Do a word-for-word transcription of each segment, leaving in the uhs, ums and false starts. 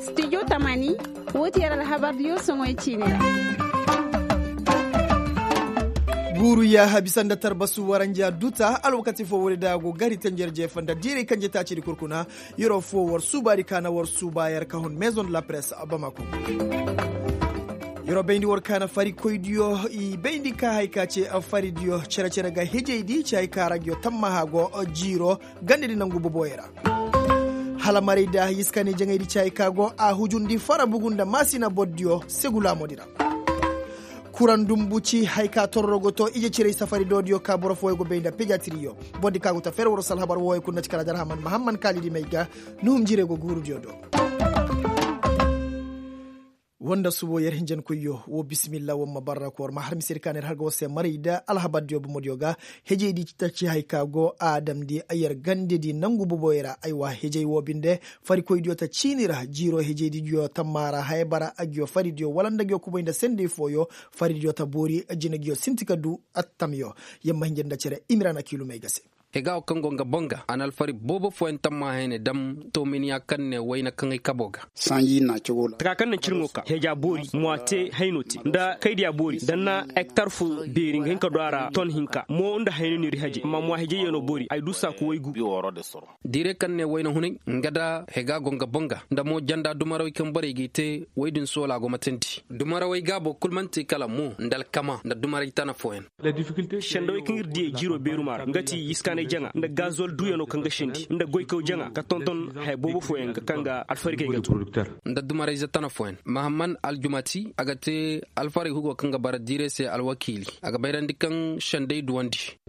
Studio tamani, woo ti yer alhabardiyo soŋoy ciini ra. Guuru yaaha bisa nda tarbasu waranja duta alwakati foo woodi da a go gari tenjer jeefa nda diiray kanje taacidi kurkuna. Yeroo foo war suubaadi ka na war suuba yer ka hun maison de la presse bamako. Yeroo bayndi war ka na farikoydiyo i bayndi ka hay ka ce faridiyo cere-cere ga hejaydi ci hay ka ra ngiyo tammaha go jiiro gandedi nangu boboyey ra. Hala maray da yiskaani jaŋaydi ci hay ka go a hujundi fara bugu nda maasina bordiyo segu laamodi ra. Kuraŋ dumbu ci hay ka torro go to ije ciray safari doodiyo ka boro fooyo go bay nda pejatiriyo. Bordi ka go ta fer woro salhabar wooyo kul na ci kala darhaman mahamman kaalidi may ga nuhum jire go guurudiyo do. Woo nda subo yer hinjankoyyo woo bisimilla woo ma barra ko war ma har misedi ka na yer har ga war se maray da alhabardiyo bomodiyo ga. Hejeydi ta ci hay ka go a damndi yer gandedi nangu boboyey ra aywa hejey woo binde. Farikoydiyo ta ciini ra jiiroo hejeydiyo tammaa ra haya bara a ngiyo faridiyo wala nda ngiyo kubay nda sendey fooyo. Faridiyo ta boori jina ngiyo sinti ka duu attamyo. Yer ma hinja nda cere imiraana kiilumey ga se. Hega wo kaŋ go nga boŋ ga a na alfari boobo fooyaŋ tamma hayne dam toominiya kaŋ ne wayna kaŋay kabo ga. Taka kaŋ naŋ cirŋo ka heja boori mwa te hayno te nda kaydiya boori da na hektar fo beeri nga hin ka du a ra ton hinka mo nda hayno ni ri haje amma mwa hejeyyanoo boori ay du saaku waygu. Diire kaŋ ne wayna hunay nga da hega go nga boŋ ga nda mo janda dumarawey kaŋ borey g'i te woy din soola go matandi. Dumarawey gaabo kul man'ti kala mo nda alkama nda dumaray tana fooyaŋ. Sendawey kaŋ ir diyey jiiroo beerumaa ra nga ti yiskaanay jaŋa nda gazol duuyanoo kaŋ ga sendi nda goykaw jaŋa ka tonton haya boobo fooyaŋ ga kaŋ ga alfarikey ga tun. Nda dumarayze tana fooyaŋ mahamman aljumati a ga te alfaray hugo kaŋ ga bara diiray se alwakiili a ga bayrandi kaŋ senday duwandi.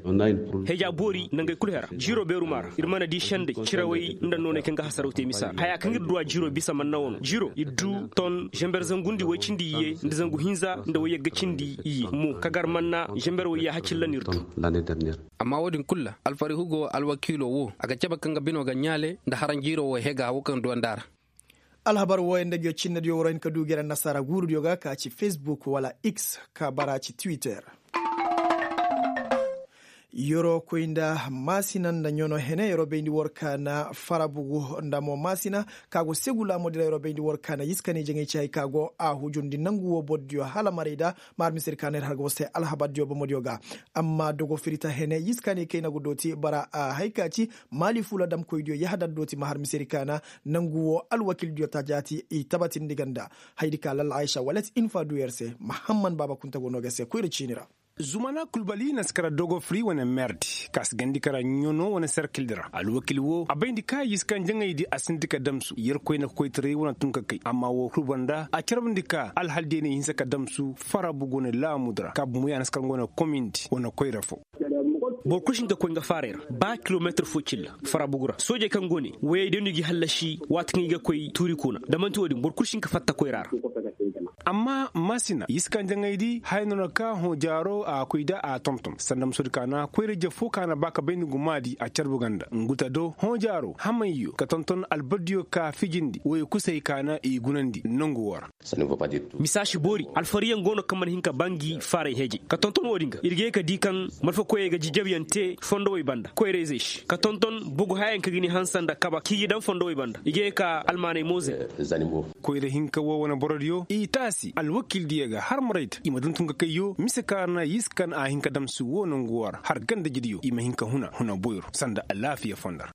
Heja boori nangey kul hera jiiroo beerumaa ra ir mana di senday cirawey nda nooney kaŋ ga hasaraw te misa ra haya kaŋ ir duw'a jiiroo bisa manna wano jiiroo ir du ton zember zangundi woy cindi iyye nda zangu hinza nda woy yagga cindi iyye mo ka gar manna zember woy yaaha cilla no ir du. Amma woodin kul ra alfarihugo alwakiiloo woo a ga cabe kaŋ ga binoo ga ɲaale nda haranjiiroo woo hega woo kaŋ duwandi a ra. Alhabar wooyaŋ nda ngiyo cinnediyo war hin ka duu gere annasaara guurudiyo ga ka ci facebook wala x ka bara ci twitter. Yeroo koy nda maasina nda ɲono hene yeroo bayndi war ka na farabugu nda mo maasina ka go segu laamoodi ra yeroo bayndi war ka na yiskaanay jaŋay ci hay ka go a hujundi nangu woo bordiyo hala maray da ma har misedi ka na ir har ga war se alhabardiyo bomodiyo ga. Amma dogo firita hene yiskaanay kayna go dooti bara a hay ka ci maali fuula damkoydiyo yahadar dooti ma har misedi ka na nangu woo alwakildiyo ta jaati i tabatindi ganda. Haydi ka lalla aysa walet infa du yer se mahamman baaba kunta go no ga se koyra ciini ra. Zumana kulbali na si kara dogo firi wane merdi ka si gandi kara ɲono wane serkildi ra alwakil woo a bayndi ka yiskaŋ jaŋaydi a sinti ka damsu yerkoy na ka koytaray wane tun ka kay amma woo kul banda a carbandi ka alhaldeeney hinsa ka damsu farabu go ne laamudi ra ka bumo ya na si kara nga wane komindi wane koyra foo. Boro kul si hin ka koy nga faaray ra ba kilometir foo cilla farabugu ra soojey kaŋ go ne woyey day no i g'i hallasi waati kaŋ i ga koy tuuri kuna da man'ti woodin boro kul si hin ka fatta koyra ra. Amma maasina yiskaŋ jaŋaydi haya no na ka hõ jaaro a koy da a tonton sanda musodi ka na koyra-ije foo ka na ba ka bay nda gumaadi a carbu ganda ngu ta do hõ jaaro hamayyo ka tonton albaddiyo ka fijindi woyo kusay ka na i gunandi nongu woo ra. Misa si boori alfariyaŋ go no kaŋ mana hin ka ba ngi faaray hejay ka tonton woodin ga ir ga ye ka di kaŋ malfakoyey ga jijabyaŋ te fondowey banda koyra-izey se ka tonton bogu hayayaŋ kaŋ ga ni hanse nda kaba k'i ga daŋ fondowey banda i ga ye ka almaaney mooze. Koyra hinka woo wane borodiyo i taasi alwakiildiyo ga har marayta i ma duntun ka kayyo mise kaŋ a na yiskan a hin ka damsi woo nongu woo ra har ganda-ijidiyo i ma hin ka huna huna boyro sanda alaafiya fonda ra.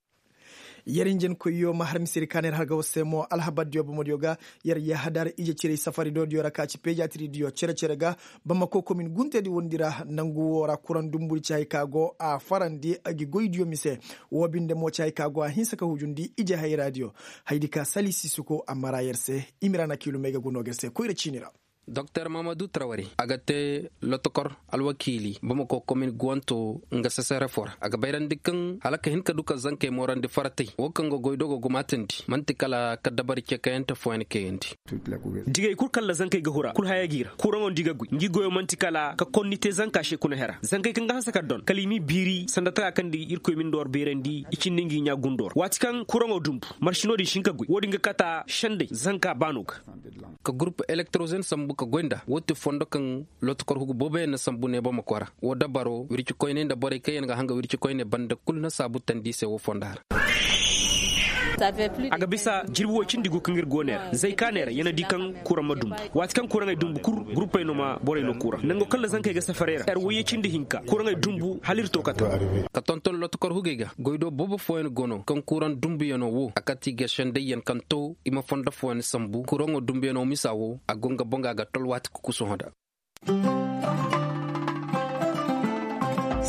Yer hinjankoyyo ma har misedi ka na yer har ga war se mo alhabardiyo bomodiyo ga. Yer yahadar ije ciray safari doodiyo ra ka ci pejatiridiyo cere-cere ga bamako komin guntedi wondi ra nangu woo ra kuraŋ dumbudi ci hay ka go a farandi gi goydiyo mise. Woo binde mo ci hay ka go a hinsa ka hujundi ije hayraadiyo. Haydi ka sali sisuko a mara yer se. Imira na kiilumey ga gunoo ga yer se koyra ciini ra. Doktor mahamadu trawari a ga te lotokor alwakiili bamako komin guwanto nga sesere foo ra a ga bayrandi kaŋ hala ka hin ka du ka zankey moorandi faratey woo kaŋ ga goy dogo gumaatandi man'ti kala ka dabari cekayante fooyaŋ kayandi. Digey kul kaŋ ra zankey ga hura kul haya g'i ra kuraŋo nda i ga goy ngi goyo man'ti kala ka konni te zanka se kuna hera zankey kaŋ ga hanse ka don kala i m'i biiri sanda taka kaŋ nda irkoy ma ni nda war beerandi i cindi ngi ɲaa gundoo ra waati kaŋ kuraŋo dumbu marsi no-din si hin ka goy woo-din ga kata sendey zanka baano ga. Ka gurupu elektrozen sambu. ka goy nda woo ti fondo kaŋ lootikor hugu booboyaŋ na sambu neebamako ra. Woo dabaro wircikoyney nda borey kaŋ yaŋ ga hanga wircikoyney banda kul na saabu tandi i se woo fonda ra. A ga bisa jirbi woy cindi gu kaŋ ir go ne ra zay kaaney ra ya na di kaŋ kuraŋ ma dumbu. Waati kaŋ kuraŋey dumbu kul, gurupey no ma borey no kuraŋ nango kaŋ ra zankey ga safarey ra er woyye cindi hinka kuraŋey dumbu hala ir to kata. Ka tonton lootikor hugey ga goy do boobo fooyaŋ go no kaŋ kuraŋ dumbuyaŋo wo a kate i ga sendayyaŋ kaŋ to i ma fondo fooyaŋ sambu kuraŋo dumbuyaŋo misa wo a go nga boŋ ga a ga tol waati kuku sohõ nda.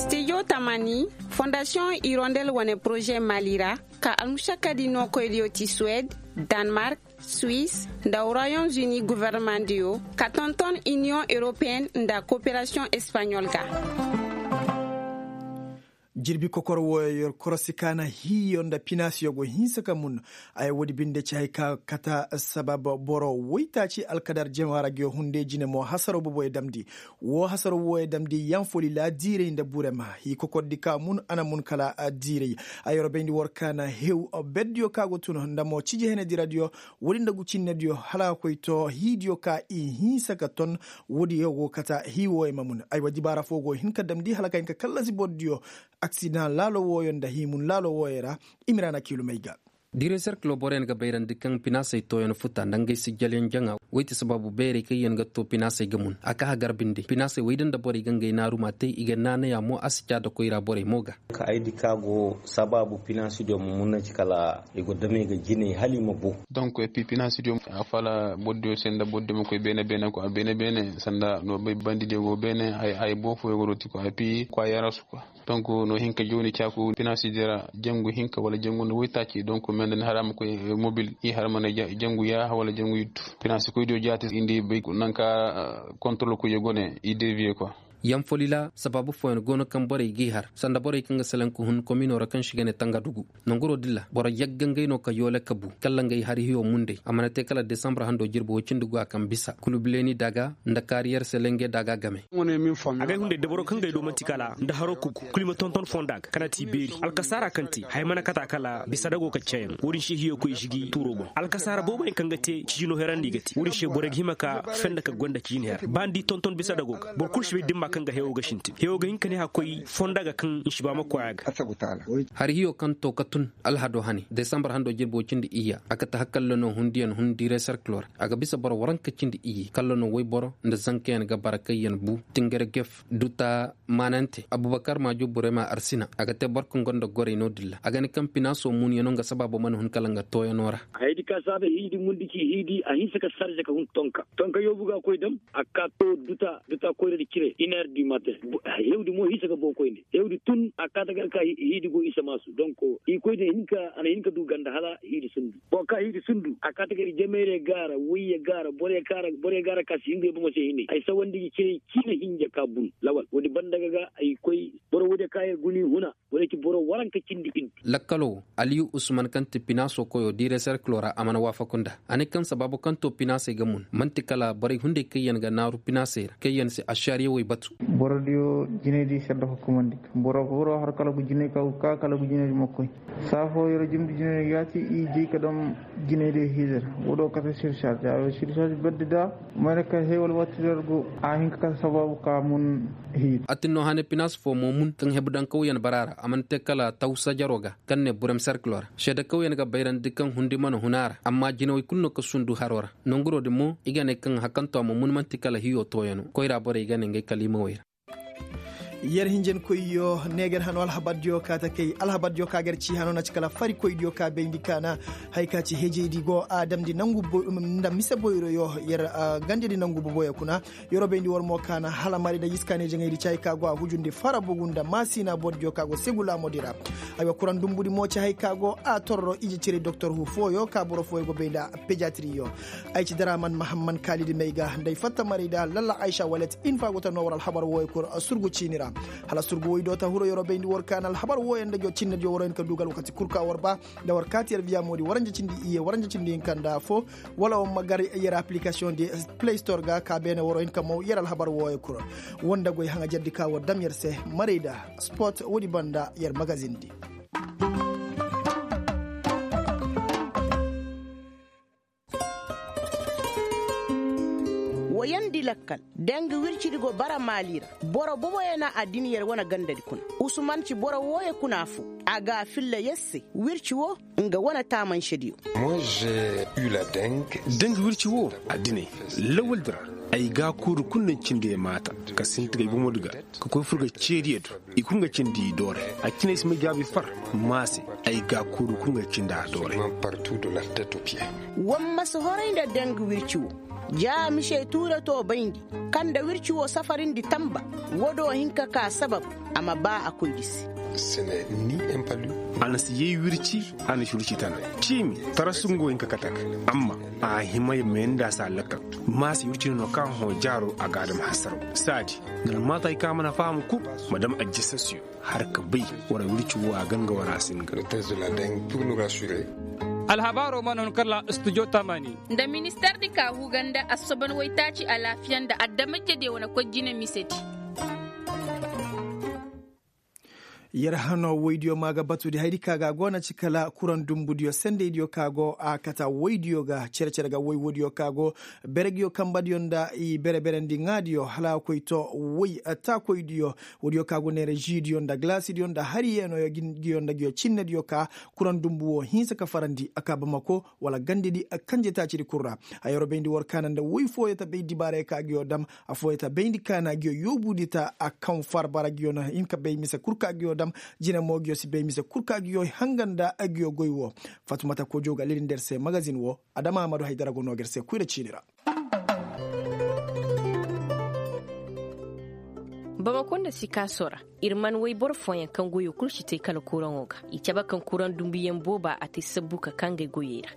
Stijo tamani, fondasiyoŋ irondel wane poroze mali ra, ka almušakkadi nookoydiyo ti suwed, danmark, suis, nda royaume uni gofornamadiyo, ka tonton iniyoŋ europeyen nda koperasiyoŋ espaɲol ga. Jirbi kokor wooyo yer korosi ka na hiyo nda pinaasiyo go hinsa ka mun. Ay woodi binde ci hay ka kata sabab boro woytaaci alkadar jamaara ga yo hunde jine mo hasaro boboyo damndi. Woo hasaro wooyo damndi yanfoli laadiirey nda burema hii kokordi ka mun a na mun kala diirey. Ay yer bayndi war ka na hew beddiyo ka go tun nda mo ciji henediradyo. Woodi nda gu cinnediyo hala a koy to hiidiyo ka i hinsa ka ton. Woodiyo go kata hii wooyo ma mun ay wa dibaara foo go hin ka damndi hala ka hin ka kallasi bordiyo. Aksidaŋ laalo wooyo nda hiimun laalo wooyo ra. Imiraana kiilumey ga. Direserkilo boroyaŋ ga bayrandi kaŋ pinaasey tooyaŋ futa nda ngey sijjalyaŋ jaŋa. Woy ti sabaabu beerey kaŋ yaŋ ga too pinaasey ga mun a ka hagar binde pinaasey woy da nda borey ga ngey naaru ma te i ga naanaya mo a si caada koyra borey mo ga. Ka ay di ka go sabaabu pinaasidiyo ma mun na ci kala i go damey ga jinay hala i ma boo. Donk epi pinaasidiyo a fala bordiyo se nda bordiyo ma koy beene beene ko a beene beene sanda no bay bandidiyo go beene. Ay boo fooyo go no ti ko epi ko a yarasu ko. Donk no hin ka jooni caaku pinaasi dira jangu hinka wala jangu nda woytaaci donk mendani hara ma koy mobil i hara ma ne jangu yaaha wala jangu yuttu. Pinaasi koy diyo jaati indi bay nanka kontorol koy go ne i deviye kwa. Yaŋ folila sabaabu fooyaŋ go no kaŋ borey g'i har sanda borey kaŋ ga selaŋ ka hun kominoo ra kaŋ si ga ne tanga dugu. Nanguroo dilla boro yagga ngey no ka yoole kabu kalla ngey har hiyo munday a mana te kala desambar handoo jirbi woy cindi go a kaŋ bisa kulubileeni daaga nda kaariyer selenge daaga game. Agay hunday dabaro kaŋ gay do man'ti kala nda haro kuku kul i ma tonton fonda ga kala ti beeri alkasaara kaŋ te haya mana kata kala bisa dago ka cayaŋ wo-din se hiyo koy i si gi tuuro boŋ alkasaara booboyaŋ kaŋ ga te cijino herandi i ga te wo-din se borey ga hima ka fenda ka gonda cijin her ba ni di tonton bisa dago ga boro kul si bay dimma kaŋ ga hewo ga sintin hewo ga hin ka ne haka koy fonda ga kaŋ i si ba ma koy a ga. Hari hiyo kaŋ to ka tun alhado hane desambar hando jirbo cindi iyya a kate hakalla no hundiyaŋ hun direserkilo ra a ga bisa boro waranka cindi iyye kalla no woyboro nda zankayaŋ ga bara kaŋ yaŋ bu tingare gef duta maanante abubakar maajo burema arsina a ga te boro kaŋ gonda gorey no-din ra a ga ne kaŋ pinaaso muunyaŋo nga sabaabo mana hun kala nga tooyaŋo ra. Hayadi ka saaba hiidi mundi ci hiidi a hinsa ka sarze ka hun tonka tonka yoobu ga koy dam a ka to duta duta koyradi cire iner du matin. Hewdi mo hinsa ka boo koyne hewdi tun a kaata gar ka hiidi go isa maasu donk i koyne hinka a na hinka du ganda hala hiidi sundu boro ka hiidi sundu a kaata gar i jamayre gaara woyye gaara boro gaara ka si hinga i bomo se hinay ay sawandi gi cire ciina hinja ka bun lawal woodi banda ga ga ay koy boro woodi ka yer guni huna. Lakkalo wo aliyu usman kaŋ ti pinaaso koyo diiray serkilo ra a mana waafaku nda a ne kaŋ sabaabu kaŋ to pinaasey ga mun man'ti kala borey hunday kaŋ yaŋ ga naaru pinaasey ra kaŋ yaŋ si ašariyawey batu. Borodiyo jinaydi sedda hukumandi boro boro har kala gu jinay ka gu ka kala gu jinaydi ma koy. Saafo yer jimdi jinaydi yaati i jey ka dam jinaydi hiidir. Wo do kate sirsaadi a yo sirsaadi beddi da. Mana ka hewal waati der go a hin ka kate sabaabu ka mun. Hiidi. Atinno hane pinaas fo mo mun kaŋ hebudankawyaŋ bara ra a mana te kala tawsa jaro ga kaŋ ne burem serkilo ra seedakawyaŋ ga bayrandi kaŋ hundi mana hun a ra amma jinawey kulu no ka sundu haro ra. Nanguro din mo i ga ne kaŋ hakanto a ma mun man'ti kala hiyo tooyaŋo koyra borey ga ne ngey kaliimawey ra. Yer hinjankoyyo neegar hano alhabardiyo ka ta kay alhabardiyo ka gar ci hano na ci kala farikoydiyo ka bayndi kaana. Hari ka ci hejeydi go a damndi nangu nda mise boyroyo yer gandedi nangu boboyo kuna. Yeroo bayndi war mo kaana hala mari nda yiskaaney jaŋaydi caayi ka go a hujundi fara bugu nda maasiina bordiyo ka go segu laamodi ra. Aywa kuraŋ dumbudi mo ci hay ka go a torro ije cire doktor hu fooyo ka boro fooyo go bay nda pejatiriyo. Ay ci daraaman mahamman kaalidi may ga nda ay fatta maray da lalla aysa walet in fa go ta noo war alhabar wooyo kul surgu ciini ra. Hala surgu woy do ta huro yeroo bayndi war kaana alhabar wooyo nda jo cinnediyo waroyin ka dugal wakati kul ka war ba. Nda war kaati yer viya moodi waranja cindi iye waranja cindi hinka nda fo. Wala war ma gar yer aplikasiyoŋ di play store ga ka beene waro hin ka mow yer alhabar wooyo kul. Woo nda goy haŋajerdi ka war dam yer se maray da sport woodi banda yer magazin di. Woo yaŋ. Lakkal, danga wircidi go bara maali ra. Boro boboyaŋ na addin yer wane gandadi kuna. Usuman ci boro wooyo kuna foo. A ga a filla yer se. Wirci woo, nga wane taamansediyo. Danga wirci woo, addiney, lawaldi ra, ay gaakuudu kul na cindi ay maata, ka sinti ga ay bomodi ga, ka koy fur ga ceediyo do. I kul ga cindi i doore. A cine ay si may jaabi far, maa se, ay gaakuudu kul ga cindi a doore. War ma si horay nda danga wirci woo. Ja mise tuura too bayndi, kaŋ nda wirci woo safarindi tanba. Woo do hin ka kaa sabab, a ma baa a koydi se. A na si yay wirci, a na si wirci tana. Ciimi, tarasu nga wo hin ka kate a ga. Amma, a hima ya meendi a se a lakkal. Maa se wirci no kaŋ hõ jaaro a ga a dam hasaraw. Saadi, nga na maata hay kaŋ a mana faham kul, ma dam ajjasasiyo. Har ka bay, war wirci woo a ganga war a singa. Alhabaaroo mana hun kala studio taamaani. Nda ministeer di ka huu ga nda assoban waytaaci alaafiya nda adamajediyo wane koy jine misedi. Yer hano woydiyo ma ga batu di haydi ka ga a go na ci kala kuraŋ dumbudiyo sendeydiyo ka go a kata woydiyo ga cere-cere ga woy woodiyo ka go beregiyo kambadiyo nda i bere-berandi ŋaadiyo hala a koy to woy taakoydiyo. Woodiyo ka go neera žiidiyo nda galaasidiyo nda hariyeenoyo giyo nda giyo cinnediyo ka kuraŋ dumbu wo hinsa ka farandi a ka bamako wala gandedi kanjetaacidi kul ra. Hayaro bayndi war kaana nda woy fooyo ta bay dibaarey ka giyo dam. Afooyo ta bayndi kaana giyo yoobudi ta a kaŋ farbara giyo na hin ka bay mise kul ka giyo dam. Jine mo giyo si bay mise kul ka giyo hanga nda giyo goy wo. Fatumata kojo ga lilindi er se magazin wo. Adama amadu haydara go no ga er se kuyra ciini ra. Bamako nda sikaaso ra, ir man woy boro fooyaŋ kaŋ goyo kul si te kala kuraŋo ga. I cabe kaŋ kuraŋ dumbuyaŋ booba a te sabbu ka kaa ngey goyey ra.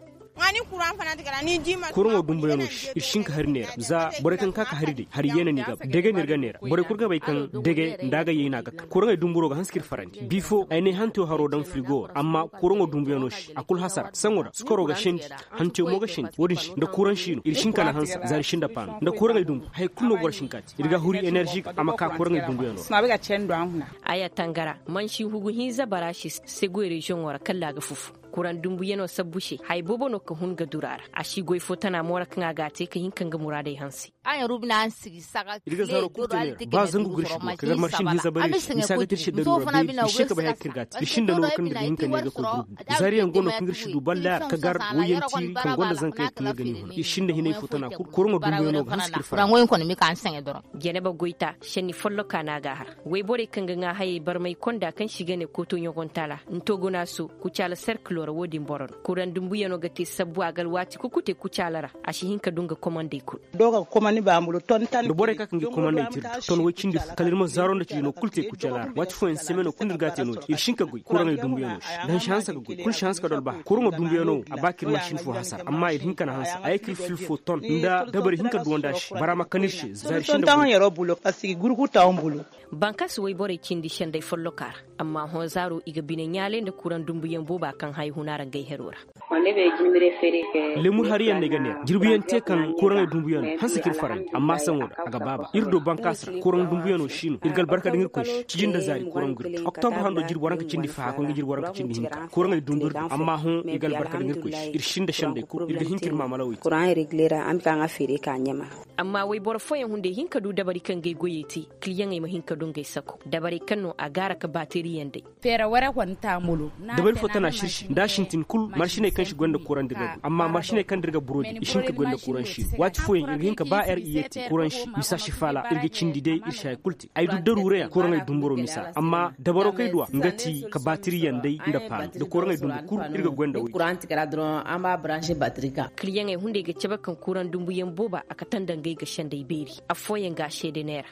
Kuraŋo dumbuyaŋo se ir si hin ka hari neera za borey kaŋ ka ka hari day hari yeena no i ga ba dege no ir ga neera borey kul ga bay kaŋ dege nda a ga yay no a ga kaŋ kuraŋey dumburo ga hanse ka ir farandi bifo ay ne hanteyo haro daŋ firigo ra amma kuraŋo dumbuyaŋo se a kul hasara saŋo ra sukaro ga sendi hanteyo mo ga sendi wo-din se nda kuraŋ si no ir si hin ka na hanse za ir si nda paano nda kuraŋey dumbu haya kul no boro si hin ka te ir ga huri enerži ga a ma ka kuraŋey dumbuyaŋo ra. Aya tangara mansi hugu hinza bara se se goy reziyoŋo ra kalla a ga fufu. Kuraŋ dumbuyaŋo sabbu se haya boobo no ka hun ga duru a ra a si goy fo tana mo ra kaŋ a ga a te ka hin ka nga muraadey hanse. Ir ga zaaro kul te neera ba zangu ga ir si du ka gar marsin hinza bare ir se misa ga te ir se daru ra beeri ir si ka bay haya kaŋ ir ga a te ir sinda nooru kaŋ ir ga hin ka ne ir ga koy gurubu zaariyaŋ go no kaŋ ir si du ballaar ka gar woyyaŋ tiiri kaŋ gonda zankey kaŋ ir ga ni huna ir sinda hinay fo tana kul kuraŋo dumbuyaŋo ga hanse ka ir fara. Janaba goyta senni folloka no a ga a har wayborey kaŋ ga ŋaa hayey barmay konda kaŋ se i ga ne kooto ɲogontaala ntogonaaso kucaala serkilo ra wo-din boro no kuraŋ dumbuyaŋo ga te sabbu a ga alwaati kul kute kucaala ra a si hin ka du nga komandey kul. Da borey ka ka ngi komandey te ir du ton way cindi fo kala ir ma zaaro nda cindi no kul te kucaala ra waati fooyaŋ semeno kul no ir ga a te no-din ir si hin ka goy kuraŋey dumbuyaŋo se nda hansi hanse ga goy kul si hanse ka du albaha kuraŋo dumbuyaŋo wo a ba ka ir ma sin fo hasara amma ir hin ka na hanse a ye ka ir fil fo ton nda dabari hin ka duwandi a se bara ma kan ir se za ir sinda goy. Bankaasi wayborey cindi sendey folloka ra amma hõ zaaro i ga bine ɲaalay nda kuraŋ dumbuyaŋ booba kaŋ haya huna ra ngey hero ra. Lemur hariyaŋ no ay ga neera jirbiyaŋ te kaŋ kuraŋey dumbuyaŋ no hanse ka ir farandi amma saŋo da a ga baaba ir do bankaasi ra kuraŋ dumbuyaŋo si no ir ga albarka daŋ ir koy se ciji nda zaari kuraŋ ga ir do oktobur hando jirbi waranka cindi faha koy nga jirbi waranka cindi hinka kuraŋey dumbu ir do amma hõ i ga albarka daŋ ir koy se ir sinda sendey kul ir ga hin ka ir maamalawey te. Amma wayboro fooyaŋ hunday hin ka du dabari kaŋ ga ay goyey te kiliyaŋey ma hin ka du ngey sako dabarey kaŋ no a gaara ka baateriyaŋ day. Dabari fo tana sirsi nda a sintin kul marsiney kaŋ si goy nda kuraŋ da ir ga goy amma marsiney kaŋ da ir ga burodi i si hin ka goy nda kuraŋ si no waati fooyaŋ ir ga hin ka ba er iye te kuraŋ si misa si faala ir ga cindi day ir si hay kul te ay du daruurayaŋ kuraŋey dumburo misa amma dabaro kaŋ ay duw'a nga ti ka baatiriyaŋ day nda paano nda kuraŋey dumbu kul ir ga goy nda woy. Kiliyaŋey hunday ga cabe kaŋ kuraŋ dumbuyaŋ booba a kate nda ngey ga sendey beeri affooyaŋ ga a seede neera.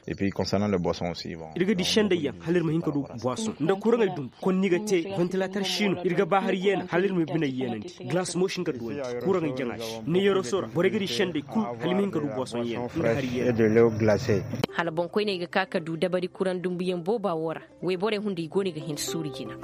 Ir ga di sendayyaŋ hala ir ma hin ka du boison nda kuraŋey dumbu konni ga te vantilatar si no ir ga ba hari yeena hala ir ma biney yeenandi galas mo si hin ka duwandi kuraŋey jaŋa se ne yeroso ra borey ga di senday kul hala i ma hin ka du boison yeena nda hari yeena. Hala boŋkoyney ga ka ka du dabari kuraŋ dumbuyaŋ booba wo ra wayborey hunday go no i ga hin suuru jina.